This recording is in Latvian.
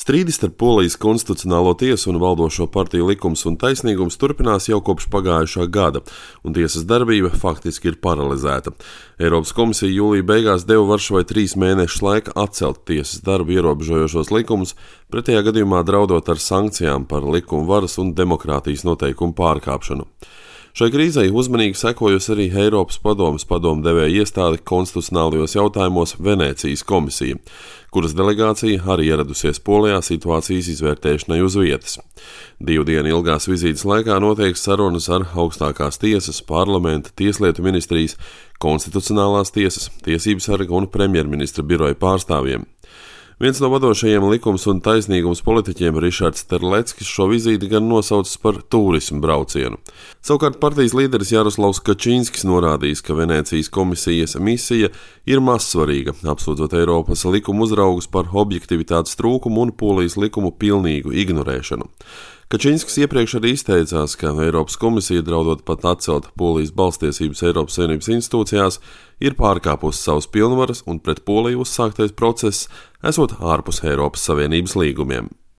Strīdi starp Polijas konstitucionālo tiesu un valdošo partiju Likums un taisnīgums turpinās jau kopš pagājušā gada, un tiesas darbība faktiski ir paralizēta. Eiropas komisija jūlija beigās deva Varšavai 3 mēnešus laika atcelt tiesas darbu ierobežojošos likumus, pretējā gadījumā draudot ar sankcijām par likuma varas un demokrātijas noteikumu pārkāpšanu. Šai krīzei uzmanīgi sekojusi arī Eiropas padomdevēja iestāde konstitucionālajos jautājumos Venēcijas komisija, kuras delegācija arī ieradusies Polijā situācijas izvērtēšanai uz vietas. 2 dienu ilgās vizītes laikā notiek sarunas ar augstākās tiesas, parlamenta, tieslietu ministrijas, konstitucionālās tiesas, tiesības sarga un premjerministra biroja pārstāvjiem. Viens no vadošajiem likums un taisnīgums politiķiem, Rišards Terleckis, šo vizīti gan nosaucis par turismu braucienu. Savukārt partijas līderis Jaroslavs Kačinskis norādījis, ka Venēcijas komisijas misija ir mazsvarīga, apsūdzot Eiropas likuma uzraugus par objektivitātes trūkumu un Polijas likumu pilnīgu ignorēšanu. Kačinskis iepriekš arī izteicās, ka Eiropas komisija, draudot pat atcelt Polijas balstiesības Eiropas Savienības institūcijās, ir pārkāpusi savas pilnvaras un pret Poliju uzsāktais process esot ārpus Eiropas Savienības līgumiem.